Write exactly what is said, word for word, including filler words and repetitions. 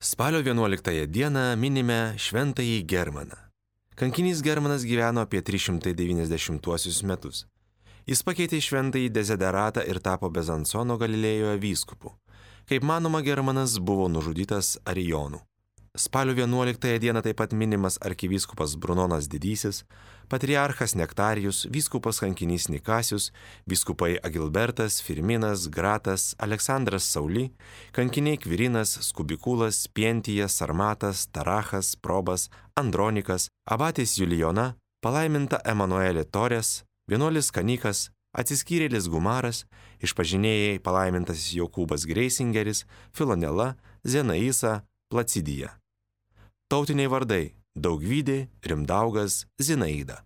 Spalio vienuoliktąją dieną minime šventąjį Germaną. Kankinys Germanas gyveno apie trys šimtai devyniasdešimtuosius metus. Jis pakeitė šventąjį Dezideratą ir tapo Bezansono Galilėjoje vyskupu. Kaip manoma, Germanas buvo nužudytas arijonų. Spalio vienuoliktąją dieną taip pat minimas arkivyskupas Brunonas Didysis, patriarchas Nektarijus, vyskupas kankinys Nikasius, vyskupai Agilbertas, Firminas, Gratas, Aleksandras Sauli, kankiniai Kvirinas, Skubikulas, Pientijas, Sarmatas, Tarachas, Probas, Andronikas, abatės Julijona, palaiminta Emanuelė Torės, vienuolis Kanikas, atsiskyrėlis Gumaras, išpažinėjai palaimintasis Jokūbas Greisingeris, Filonela, Zenaisa, Placidija. Tautiniai vardai: Daugvydė, Rimdaugas, Zinaida.